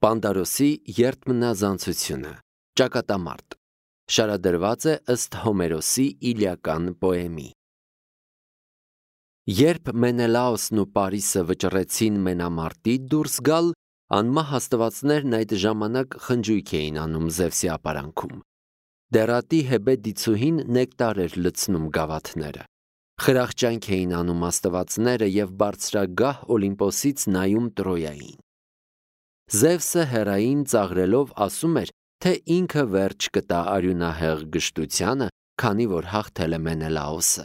Պանդարոսի երդմնազանցությունը, ճակատամարտ, շարադրված է ըստ Հոմերոսի իլիական պոեմի։ Երբ Մենելաոսն ու Պարիսը վճռեցին մենամարտի դուրս գալ, անմահ աստվածներն այդ ժամանակ խնջույք էին անում Զևսի ապարանքում։ Դերատի Հեբե դիցուհին նեկտար էր լցնում գավաթները։ Խրախճանք էին անում աստվածները և բարձրագահ Օլիմպոսից նայում Տրոյային։ Զևսը հեռային ծաղրելով ասում էր, թե ինքը վերջ կտա արյունահեղ գժտությանը, քանի որ հաղթել է Մենելաոսը։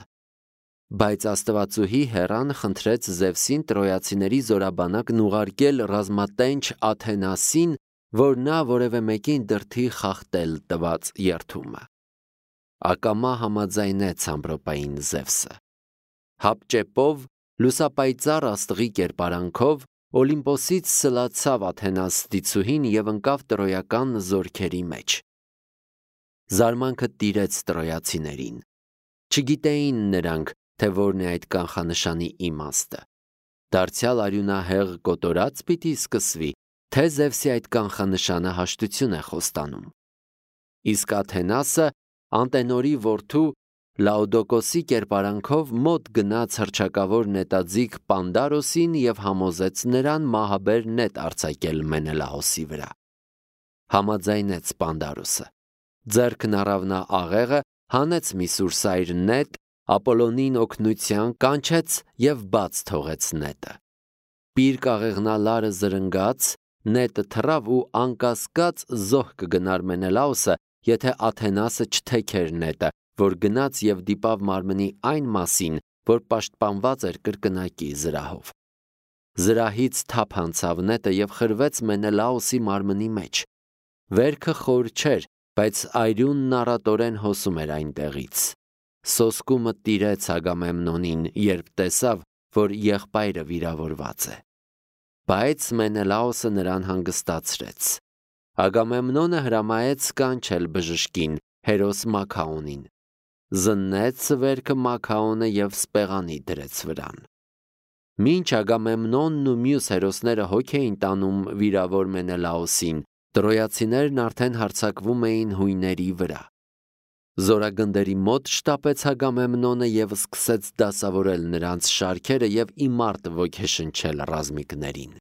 Բայց աստվածուհի Հեռան խնդրեց Զևսին տրոյացիների զորաբանակն ուղարկել ռազմատենչ Աթենասին, որ նա որևէ մեկին դրդի խախտել տված երդումը։ Ակամա համաձայնեց ամպրոպային Զևսը։ Հապճեպով, լուսապայծառ աստղի կերպարանքով Օլիմպոսից սլացավ Աթենաս դիցուհին և ընկավ տրոյական զորքերի մեջ։ Զարմանքը տիրեց տրոյացիներին։ Չգիտեին նրանք, թե որն է այդ կանխանշանի իմաստը։ Դարձյալ արյունահեղ կոտորած պիտի սկսվի, թե Զևսի այդ կանխանշանը հաշտություն է խոստանում։ Իսկ Աթենասը Անտենորի որդու Լաոդոկոսի կերպարանքով մոտ գնաց հռչակավոր նետաձիգ Պանդարոսին և համոզեց նրան մահաբեր նետ արձակել Մենելաոսի վրա։ Համաձայնեց Պանդարոսը։ Ձեռքն առավ նա աղեղը, հանեց մի սուրսայր նետ, Ապոլոնին օգնության կանչեց և բաց թողեց նետը։ Պիրկ աղեղնալարը զրնգաց, նետը թռավ ու անկասկած զոհ կգնար Մենելաոսը, եթե Աթենասը չթեքեր նետը, որ գնաց և դիպավ մարմնի այն մասին, որ պաշտպանված էր կրկնակի զրահով։ Զրահից թափ անցավ նետը և խրվեց Մենելաոսի մարմնի մեջ։ Վերքը խոր չէր, բայց այրյունն առատորեն հոսում էր այնտեղից։ Սոսկումը տիրեց Ագամեմնոնին, երբ տեսավ, որ եղբայրը վիրավորված է։ Բայց Մենելաոսը նրան հանգստացրեց։ Ագամեմնոնը հրամայեց կանչել բժշկին, հերոս Մաքաոնին։ Զննեց վերքը Մաքաոնը և սպեղանի դրեց վրան։ Մինչ Ագամեմնոնն ու մյուս հերոսները հոգ էին տանում վիրավոր Մենելաոսին, տրոյացիներն արդեն հարձակվում էին հույների վրա։ Զորագնդերի մոտ շտապեց Ագամեմնոնը և սկսեց դասավորել նրանց շարքերը և իմարտ ոգեշնչել ռազմիկներին։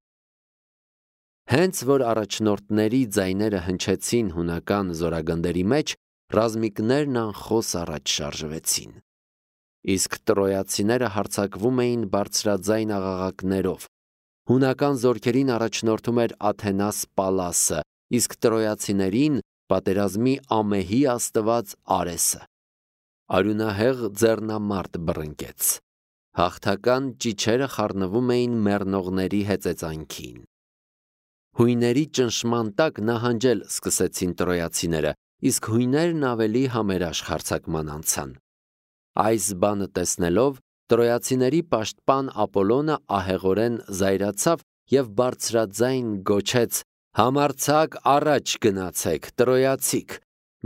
Հենց որ առաջնորդների ձայները հնչեցին հունական զորագնդերի մեջ, ռազմիկներն անխոս առաջ շարժվեցին։ Իսկ տրոյացիները հարձակվում էին բարձրաձայն աղաղակներով։ Հունական զորքերին առաջնորդում էր Աթենաս Պալասը, իսկ տրոյացիներին պատերազմի ամեհի աստված Արեսը։ Արյունահեղ ձեռնամարտ բռնկեց։ Հաղթական ճիչերը խառնվում էին մեռնողների հեծեծանքին։ Հույների ճնշման տակ նահանջել սկսեցին տրոյացիները, իսկ հույներն ավելի համերաշխ հարձակման անցան։ Այս բանը տեսնելով, տրոյացիների պաշտպան Ապոլոնը ահեղորեն զայրացավ և բարձրաձայն գոչեց. «Համարձակ առաջ գնացեք, տրոյացիք,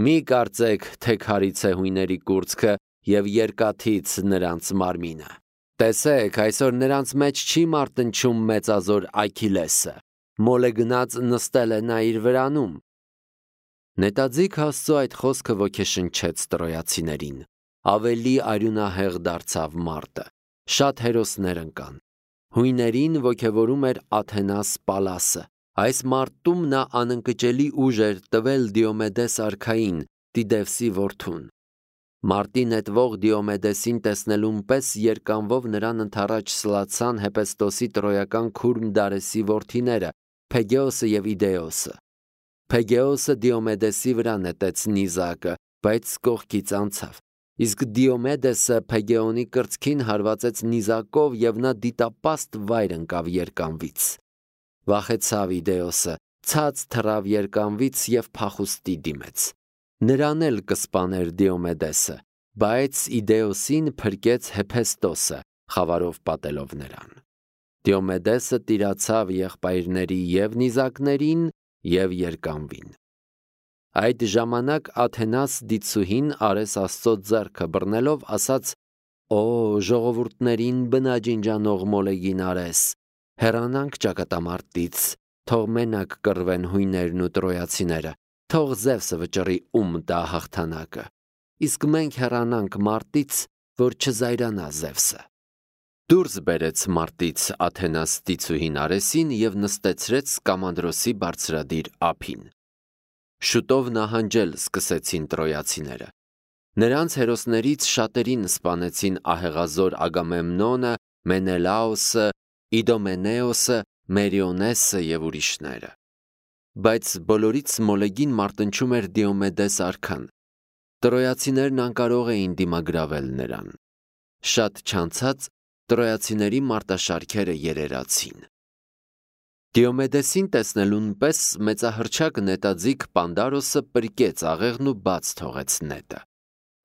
մի կարծեք, թե քարից է հույների կուրծքը և երկաթից նրանց մարմինը։ Տեսեք, այսօր նրանց մեջ չի մարտնչում մեծազոր Աքիլեսը, մոլ է գնաց նստել է նա իր վրանում»։ Նետաձիգ Աստծո այդ խոսքը ոգեշնչեց տրոյացիներին։ Ավելի արյունահեղ դարձավ մարտը։ Շատ հերոսներ ընկան։ Հույներին ոգևորում էր Աթենաս Պալասը։ Այս մարտում նա անընկճելի ուժ էր տվել Դիոմեդես արքային, Տիդևսի որդուն։ Մարտի նետվող Դիոմեդեսին տեսնելուն պես երկանվով նրան ընդառաջ սլացան Հեպեստոսի տրոյական քուրմ Դարեսի որդիները՝ Փեգեոսը և Իդեոսը։ Փեգեոսը Դիոմեդեսի վրա նետեց նիզակը, բայց կողքից անցավ, իսկ Դիոմեդեսը Փեգեոնի կրծքին հարվածեց նիզակով և նա դիտապաստ վայր ընկավ երկանվից։ Վախեցավ Իդեոսը, ցած թռավ երկանվից և փախուստի դիմեց։ Նրան էլ կսպաներ Դիոմեդեսը, բայց Իդեոսին փրկեց Հեփեստոսը, խավարով պատելով նրան։ Դիոմեդեսը տիրացավ եղբայրների և նիզակներին, և երկանվին։ Այդ ժամանակ Աթենաս դիցուհին Արես Աստծո ձեռքը բռնելով ասաց. «Օ ժողովուրդներին բնաջինջանող մոլեգին Արես, հեռանանք ճակատամարտից, թող մենակ կռվեն հույներն ու տրոյացիները, թող Զևսը վճռի տա հաղթանակը, իսկ մենք հեռանանք մարտից, որ չզայրանա Զևսը։ Դուրս բերեց մարտից Աթենաս դիցուհին Արեսին և նստեցրեց Սկամանդրոսի բարձրադիր ափին։ Շուտով նահանջել սկսեցին տրոյացիները։ Նրանց հերոսներից շատերին սպանեցին ահեղազոր Ագամեմնոնը, Մենելաոսը, Իդոմենեոսը, Մերիոնեսը և ուրիշները։ Բայց բոլորից մոլեգին մարտնչում էր Դիոմեդես արքան։ Տրոյացիներն անկարող էին դիմագրավել նրան։ Շատ չանցած տրոյացիների մարտաշարքերը երերացին։ Դիոմեդեսին տեսնելուն պես մեծահռչակ նետաձիգ Պանդարոսը պրկեց աղեղն ու բաց թողեց նետը։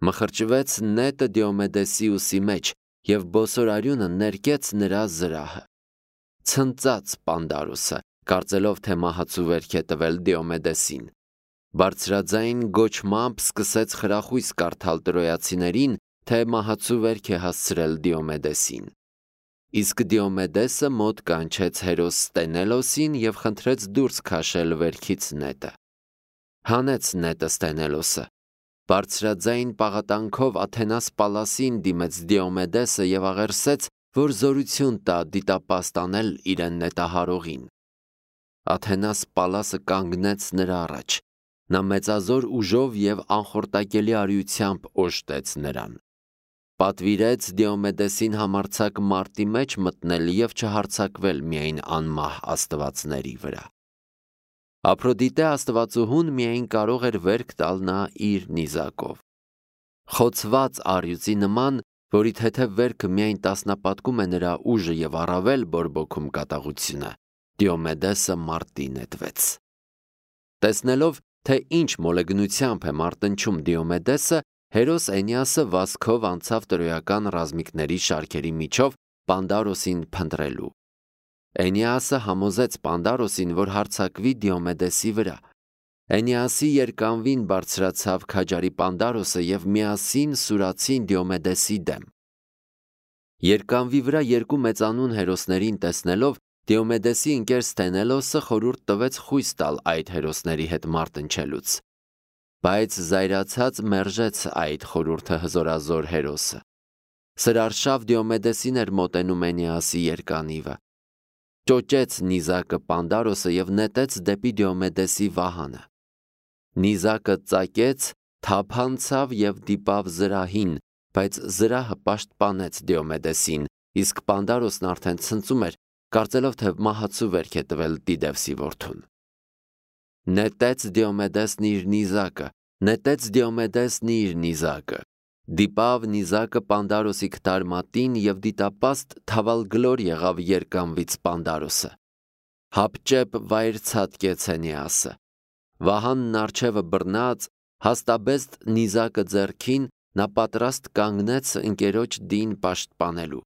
Մխրճվեց նետը Դիոմեդեսի ուսի մեջ և բոսորարյունը ներկեց նրա զրահը։ Ցնծաց Պանդարոսը, կարծելով, թե մահացու վերք է տվել Դիոմեդեսին։ Բարձրաձայն գոչմամբ սկսեց խրախույս կարդալ տրոյացիներին, թե մահացու վերք է հասցրել Դիոմեդեսին։ Իսկ Դիոմեդեսը մոտ կանչեց հերոս Ստենելոսին և խնդրեց դուրս քաշել վերքից նետը։ Հանեց նետը Ստենելոսը։ Բարձրաձայն պաղատանքով Աթենաս Պալասին դիմեց Դիոմեդեսը և աղերսեց, որ զորություն տա դիտապաստ անել իրեն նետահարողին։ Աթենաս Պալասը կանգնեց նրա առաջ։ Նա մեծազոր ուժով և անխորտակելի արիությամբ օժտեց նրան։ Պատվիրեց Դիոմեդեսին համարձակ մարտի մեջ մտնել և չհարձակվել միայն անմահ աստվածների վրա։ Ափրոդիտե աստվածուհուն միայն կարող էր վերք տալ նա իր նիզակով։ Խոցված առյուծի նման, որի թեթև վերքը միայն տասնապատկում է նրա ուժը և առավել բորբոքում կատաղությունը, Դիոմեդեսը մարտի նետվեց։ Տեսնելով, թե ինչ մոլեգնությամբ է մարտնչում Դիոմեդեսը, հերոս Էնիասը վազքով անցավ տրոյական ռազմիկների շարքերի միջով Պանդարոսին փնտրելու։ Էնիասը համոզեց Պանդարոսին, որ հարձակվի Դիոմեդեսի վրա։ Էնիասի երկանվին բարձրացավ քաջարի Պանդարոսը և միասին սուրացին Դիոմեդեսի դեմ։ Երկանվի վրա երկու մեծանուն հերոսներին տեսնելով, Դիոմեդեսի ընկեր Ստենելոսը խորհուրդ տվեց խույս տալ այդ հերոսների հետ մարտնչելուց։ Բայց զայրացած մերժեց այդ խորհուրդը հզորազոր հերոսը։ Սրարշավ Դիոմեդեսին էր մոտենում Էնիասի երկանիվը։ Ճոճեց նիզակը Պանդարոսը և նետեց դեպի Դիոմեդեսի վահանը։ Նիզակը ծակեց, թափանցավ և դիպավ զրահին, բայց զրահը պաշտպանեց Դիոմեդեսին, իսկ Պանդարոսն արդեն ցնծում էր, կարծելով, թե մահացու վերք է տվել Տիդևսի որդուն։ Նետեց Դիոմեդեսն իր նիզակը, նետեց Դիոմեդեսն իր նիզակը, դիպավ նիզակը Պանդարոսի քթարմատին և դիտապաստ թավալգլոր եղավ երկանվից Պանդարոսը։ Հապճեպ վայր ցատկեց Էնիասը։ Վահանն առջևը բռնած, հաստաբեստ նիզակը ձեռքին, նա պատրաստ կանգնեց ընկերոջ դին պաշտպանելու։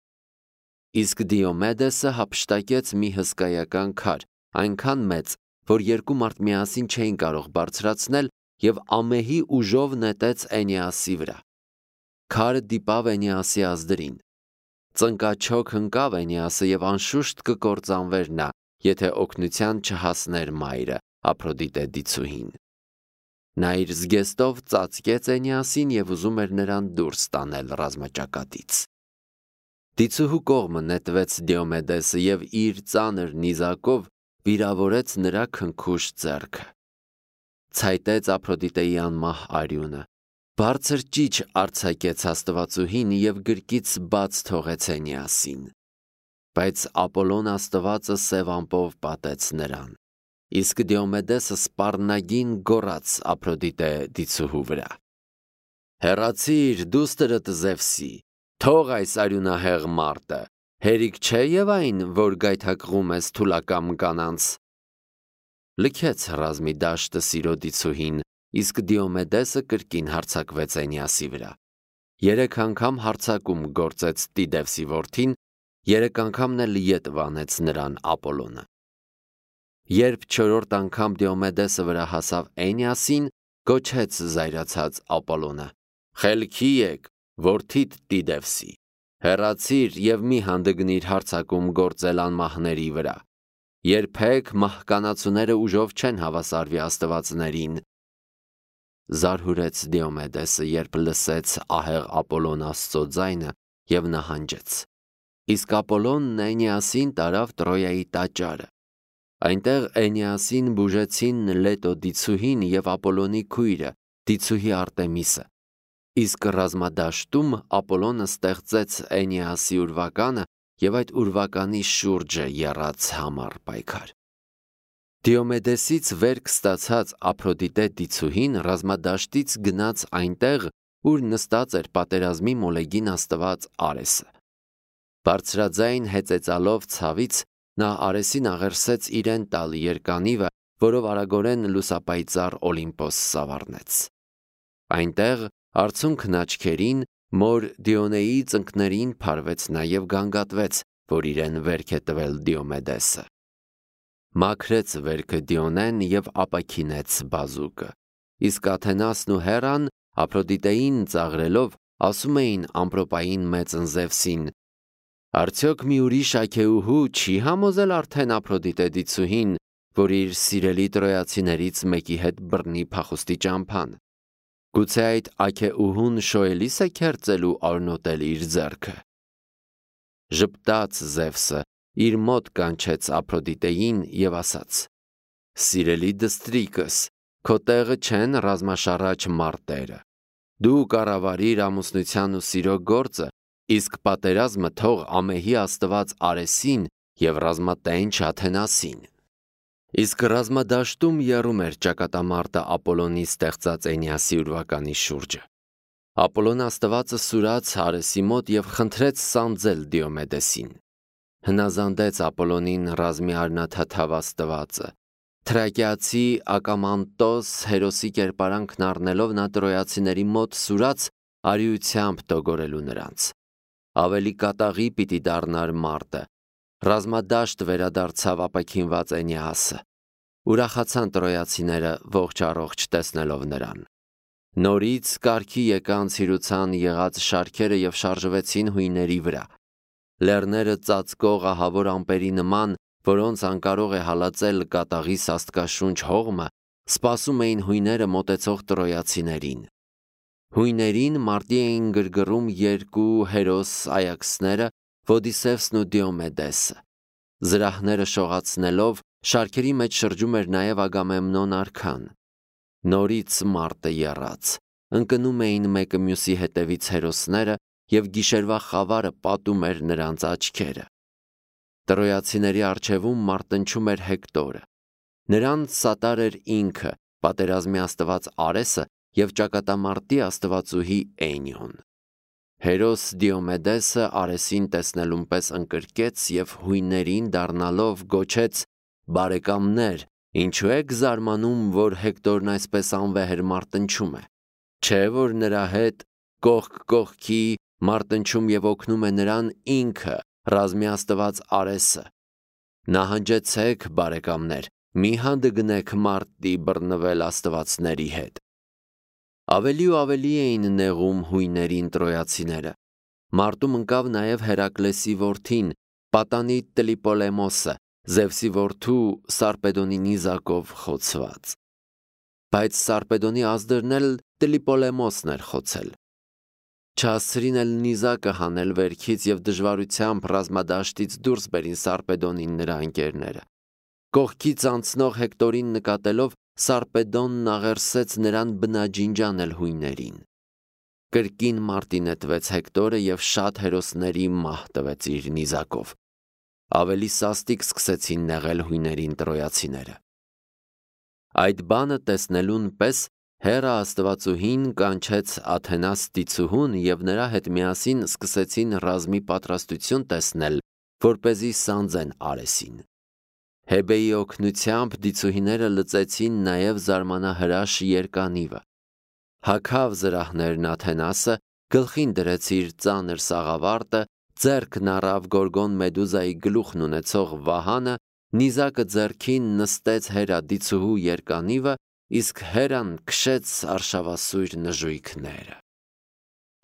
Իսկ Դիոմեդեսը հափշտակեց մի հսկայական քար, այնքան մեծ, որ երկու մարդ միասին չէին կարող բարձրացնել և ամեհի ուժով նետեց Էնիասի վրա։ Քարը դիպավ Էնիասի ազդրին։ Ծնկաչոք ընկավ Էնիասը և անշուշտ կկործանվեր նա, եթե օգնության չհասներ մայրը, Ափրոդիտե դիցուհին։ Նա իր զգեստով ծածկեց Էնիասին և ուզում էր նրան դուրս տանել ռազմաճակատից։ Դիցուհու կողմը նետվեց Դիոմեդեսը և իր ծանր նիզակով վիրավորեց նրա քնքուշ ձեռքը։ Ցայտեց Ափրոդիտեի անմահ արյունը։ Բարձր ճիչ արձակեց աստվածուհին և գրկից բաց թողեց Էնիասին։ Բայց Ապոլոն աստվածը սև ամպով պատեց նրան։ Իսկ Դիոմեդեսը սպառնագին գոռաց Ափրոդիտե դիցուհու վրա. «Հեռացիր, դուստրդ Զևսի, թող այս արյունահեղ մարտը, հերիք չէ և այն, որ գայթակղում ես թուլակամ կանանց»։ Լքեց ռազմի դաշտը սիրո դիցուհին, իսկ Դիոմեդեսը կրկին հարձակվեց Էնիասի վրա։ 3 անգամ հարձակում գործեց Տիդևսի որդին, 3 անգամն էլ ետ վանեց նրան Ապոլոնը։ Երբ 4-րդ անգամ Դիոմեդեսը վրա հասավ Էնիասին, գոչեց զայրացած Ապոլոնը. «Խելքի եք, որդիդ Տիդևսի, հեռացիր և մի հանդգնիր հարձակում գործել անմահների վրա»։ Երբեք մահկանացուները ուժով չեն հավասարվի աստվածներին, զարհուրեց Դիոմեդեսը, երբ լսեց ահեղ Ապոլոն Աստծո ձայնը և նահանջեց։ Իսկ Ապոլոնն Էնիասին տարավ Տրոյայի տաճարը։ Այնտեղ Էնիասին բուժեցին Լետո դիցուհին և Ապոլոնի քույրը, դիցուհի Արտեմիսը։ Իսկ ռազմադաշտում Ապոլոնը ստեղծեց Էնիասի ուրվականը և այդ ուրվականի շուրջը եռաց համառ պայքար։ Դիոմեդեսից վերք ստացած Ափրոդիտե դիցուհին ռազմադաշտից գնաց այնտեղ, ուր նստած էր պատերազմի մոլեգին աստված Արեսը։ Բարձրաձայն հեծեծալով ցավից նա Արեսին աղերսեց իրեն տալ երկանիվը, որով արագորեն լուսապայծառ Օլիմպոս սավառնեց։ Այնտեղ արցունքն աչքերին մոր Դիոնեի ծնկներին փարվեց նաև գանգատվեց, որ իրեն վերք է տվել Դիոմեդեսը։ Մաքրեց վերքը Դիոնեն և ապաքինեց բազուկը։ Իսկ Աթենասն ու Հերան Ափրոդիտեին ծաղրելով ասում էին ամպրոպային մեծն Զևսին. «Արդյոք մի ուրիշ աքեուհու չի համոզել արդեն Ափրոդիտե դիցուհին, որ իր սիրելի տրոյացիներից մեկի հետ բռնի փախուստի ճամփան։ Գուցե այդ աքեուհուն շոյելիս է քերծելու արնոտել իր ձեռքը»։ Ժպտաց Զևսը, իր մոտ կանչեց Ափրոդիտեին և ասաց. «Սիրելի դստրիկս, քո տեղը չեն ռազմաշարաչ մարտերը։ Դու կառավարիր ամուսնության ու սիրո գործը, իսկ պատերազմը թող ամեհի աստված Արեսին և ռազմատենչ Աթենասին»։ Իսկ ռազմադաշտում եռում էր ճակատամարտը Ապոլոնի ստեղծած Էնիասի ուրվականի շուրջը։ Ապոլոն աստվածը սուրաց Արեսի մոտ և խնդրեց սանձել Դիոմեդեսին։ Հնազանդեց Ապոլոնին ռազմի արնաթաթավ աստվածը։ Թրակիացի Ակամանտոս հերոսի կերպարանքն առնելով նա տրոյացիների մոտ սուրաց արիությամբ տոգորելու նրանց։ Ավելի կատաղի պիտի դառնար մարտը։ Ռազմադաշտ վերադարձավ ապաքինված Էնիասը։ Ուրախացան տրոյացիները ողջ առողջ տեսնելով նրան։ Նորից կարգի եկան ցիրուցան եղած շարքերը և շարժվեցին հույների վրա։ Լեռները ծածկող ահավոր ամպերի նման, որոնց անկարող է հալածել կատաղի սաստկաշունչ հողմը, սպասում էին հույները մոտեցող տրոյացիներին։ Հույներին մարտի էին գրգռում երկու հերոս այաքսները՝ Ոդիսևսն ու Դիոմեդեսը։ Զրահները շողացնելով շարքերի մեջ շրջում էր նաև Ագամեմնոն արքան։ Նորից մարտը եռաց։ Ընկնում էին մեկը մյուսի հետևից հերոսները, և գիշերվա խավարը պատում էր նրանց աչքերը։ Տրոյացիների առջևում մարտնչում էր Հեկտորը։ Նրան սատար էր ինքը, պատերազմի աստված Արեսը և ճակատամարտի աստվածուհի Էնիոն։ Հերոս Դիոմեդեսը Արեսին տեսնելուն պես ընկրկեց և հույներին դառնալով գոչեց. «Բարեկամներ, ինչու եք զարմանում, որ Հեկտորն այսպես անվեհեր մարտնչում է։ Չէ՞ որ նրա հետ կողք կողքի մարտնչում և օգնում է նրան ինքը, ռազմի աստված Արեսը։ Նահանջեցեք, բարեկամներ, մի հանդգնեք մարտի բռնվել աստվածների հետ»։ Ավելի ու ավելի էին նեղում հույներին տրոյացիները։ Մարտում ընկավ նաև Հերակլեսի որդին, պատանի Տրիպոլեմոսը, Զևսի որդու Սարպեդոնի նիզակով խոցված։ Բայց Սարպեդոնի ազդրն էլ Տրիպոլեմոսն էր խոցել։ Չհասցրին էլ նիզակը հանել վերքից և դժվարությամբ ռազմադաշտից դուրս բերին Սարպեդոնին նրա ընկերները։ Կողքից անցնող Հեկտորին նկատելով Սարպեդոնն աղերսեց նրան բնաջինջ անել հույներին։ Կրկին մարտի նետվեց Հեկտորը և շատ հերոսների մահ տվեց իր նիզակով։ Ավելի սաստիկ սկսեցին նեղել հույներին տրոյացիները։ Այդ բանը տեսնելուն պես Հերա աստվածուհին կանչեց Աթենաս դիցուհուն և նրա հետ միասին սկսեցին ռազմի պատրաստություն տեսնել, որպեսզի սանձեն Արեսին։ Հեբեի օգնությամբ դիցուհիները լծեցին նաև զարմանահրաշ երկանիվը։ Հագավ զրահներն Աթենասը, գլխին դրեց իր ծանր սաղավարտը, ձեռքն առավ Գորգոն Մեդուզայի գլուխն ունեցող վահանը, նիզակը ձեռքին նստեց Հերա դիցուհու երկանիվը, իսկ Հերան քշեց արշավասույր նժույգները։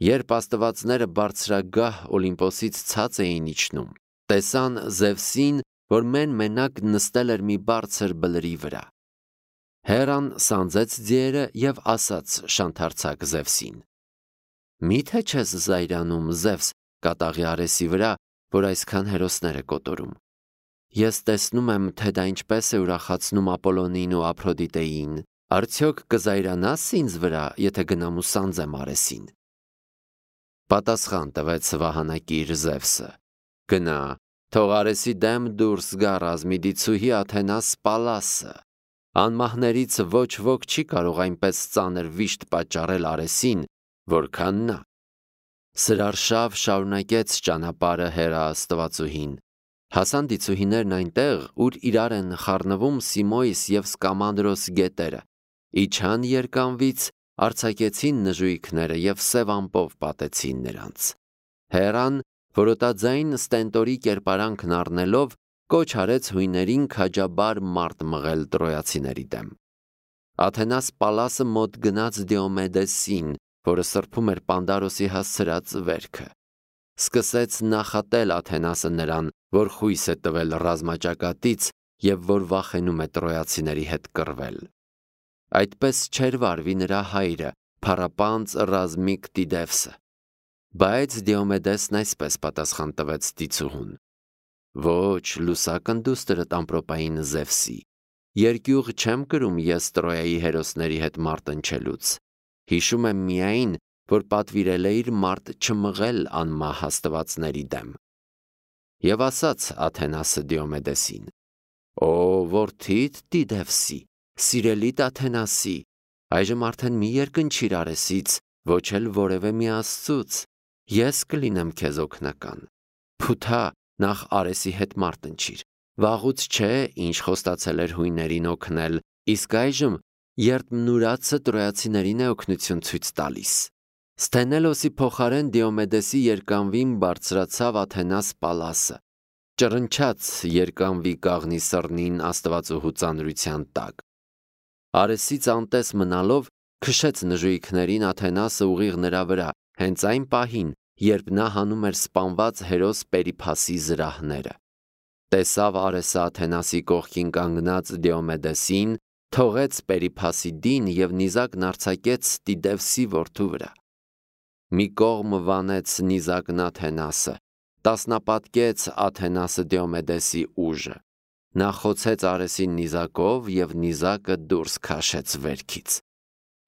Երբ աստվածները բարձրագահ Օլիմպոսից ցած էին իջնում, տեսան Զևսին որ մենակ նստել էր մի բարձր բլրի վրա։ Հերան սանձեց ձիերը և ասաց շանթարցակ Զևսին. «Մի՞թե չես զայրանում, Զևս, կատաղի Արեսի վրա, որ այսքան հերոսներ է կոտորում։ Ես տեսնում եմ, թե դա ինչպես է ուրախացնում Ապոլոնին ու Ափրոդիտեին, արդյոք կզայրանաս ինձ վրա, եթե գնամ ու սանձեմ Արեսին»։ Պատասխան տվեց վահանակիր Զևսը. «Գնա, թող Արեսի դեմ դուրս գա ռազմիդիցուհի Աթենաս Պալասը։ Անմահներից ոչ ոք չի կարող այնպես ծանր վիշտ պատճառել Արեսին, որքան նա»։ Սրարշավ շարունակեց ճանապարհը Հերա աստվածուհին։ Հասան դիցուհիներն այնտեղ, ուր իրար են խառնվում Սիմոիս և Սկամանդրոս գետերը, իջան երկանվից, արձակեցին նժույգները և սև ամպով պատեցին նրանց։ Հերան, որոտաձայն ստենտորի կերպարանքն առնելով, կոչ արեց հույներին քաջաբար մարտ մղել տրոյացիների դեմ։ Աթենաս Պալասը մոտ գնաց Դիոմեդեսին, որը սրբում էր Պանդարոսի հասցրած վերքը։ Սկսեց նախատել Աթենասը նրան, որ խույս է տվել ռազմաճակատից և որ վախենում է տրոյացիների հետ կռվել։ Այդպես չէր վարվի նրա հայրը, փառապանծ ռազմիկ Տիդևսը։ Բայց Դիոմեդեսն այսպես պատասխան տվեց դիցուհուն. «Ոչ, լուսակնդուստրդ ամպրոպային Զևսի, երկյուղ չեմ կրում ես Տրոյայի հերոսների հետ մարտնչելուց։ Հիշում եմ միայն, որ պատվիրել էիր մարտ չմղել անմահ աստվածների դեմ»։ Եվ ասաց Աթենասը Դիոմեդեսին. «Օ, որդիդ Տիդևսի, սիրելիդ Աթենասի, այժմ արդեն մի երկնչիր Արեսից, ոչ էլ որևէ մի աստծուց, ես կլինեմ քեզ օգնական։ Փութա, նախ Արեսի հետ մարտնչիր, վաղուց չէ, ինչ խոստացել էր հույներին օգնել, իսկ այժմ երդմնուրացը տրոյացիներին է օգնություն ցույց տալիս»։ Սթենելոսի փոխարեն Դիոմեդեսի երկանվին բարձրացավ Աթենաս Պալասը, ճռնչաց երկանվի կաղնի սռնին աստվածուհու ծանրության տակ։ Արեսից անտես մնալով քշեց նժույգներին Աթենասը ուղիղ նրա վրա, հենց այն պահին, երբ նա հանում էր սպանված հերոս Պերիփասի զրահները։ Տեսավ Արեսը Աթենասի կողքին կանգնած Դիոմեդեսին, թողեց Պերիփասի դին և նիզակն արձակեց Տիդևսի որդու վրա։ Մի կողմ վանեց նիզակն Աթենասը, տասնապատկեց Աթենասը Դիոմեդեսի ուժը։ Նա խոցեց Արեսին նիզակով և նիզակը դուրս քաշեց վերքից։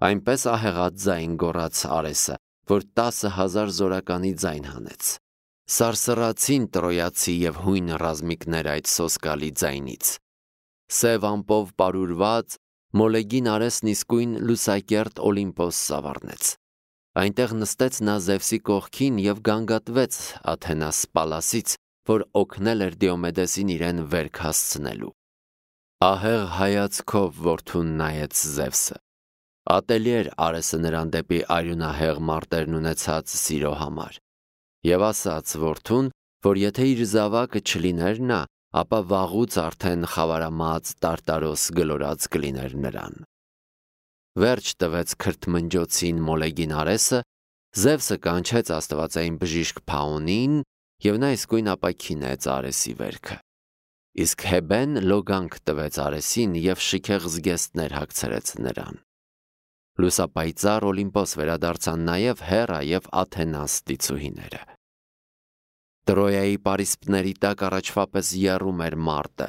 Այնպես ահեղած ձայն գոռաց Արեսը, որ 10,000 զորականի ձայն հանեց։ Սարսռացին տրոյացի և հույն ռազմիկներ այդ սոսկալի ձայնից։ Սև ամպով պարուրված Մոլեգին Արեսն իսկույն լուսակերտ Օլիմպոս սավառնեց։ Այնտեղ նստեց նա Զևսի կողքին և գանգատվեց Աթենաս Պալասից, որ օգնել էր Դիոմեդեսին իրեն վերք հասցնելու։ Ահեղ հայացքով որդուն նայեց Զևսը։ Ատելի էր Արեսը նրան դեպի արյունահեղ մարտերն ունեցած սիրո համար։ Եվ ասաց որդուն, որ եթե իր զավակը չլիներ նա, ապա վաղուց արդեն խավարամած Տարտարոս գլորած կլիներ նրան։ Վերջ տվեց քրթմնջոցին Մոլեգին Արեսը, Զևսը կանչեց աստվածային բժիշկ Փաոնին, և նա իսկույն ապաքինեց Արեսի վերքը։ Իսկ Հեբեն լոգանք տվեց Արեսին և շքեղ զգեստներ հագցրեց նրան։ Լուսապայծառ Օլիմպոս վերադարձան նաև Հերա և Աթենաս դիցուհիները։ Տրոյայի պարիսպների տակ առաջվա պես եռում էր մարտը,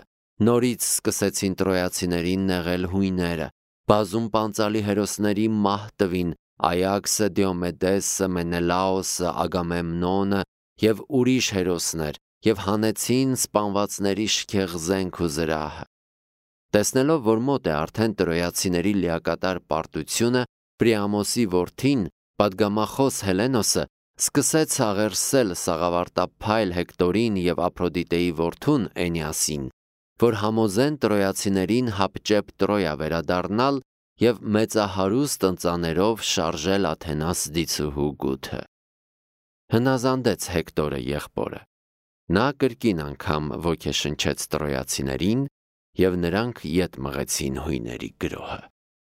նորից սկսեցին տրոյացիներին նեղել հույները, բազում պանծալի հերոսների մահ տվին Այաքսը, Դիոմեդեսը, Մենելաոսը, Ագամեմնոնը և ուրիշ հերոսներ և հանեցին սպանվածների շքեղ զենք ու զրահը։ Տեսնելով, որ մոտ է արդեն տրոյացիների լիակատար պարտությունը, Պրիամոսի որդին, պատգամախոս Հելենոսը, սկսեց աղերսել սաղավարտափայլ Հեկտորին և Ափրոդիտեի որդուն Էնիասին, որ համոզեն տրոյացիներին հապճեպ Տրոյա վերադառնալ և մեծահարուստ ընծաներով շարժել Աթենաս դիցուհու գութը։ Հնազանդեց Հեկտորը եղբորը։ Նա կրկին անգամ ոգեշնչեց տրոյացիներին, և նրանք ետ մղեցին հույների գրոհը։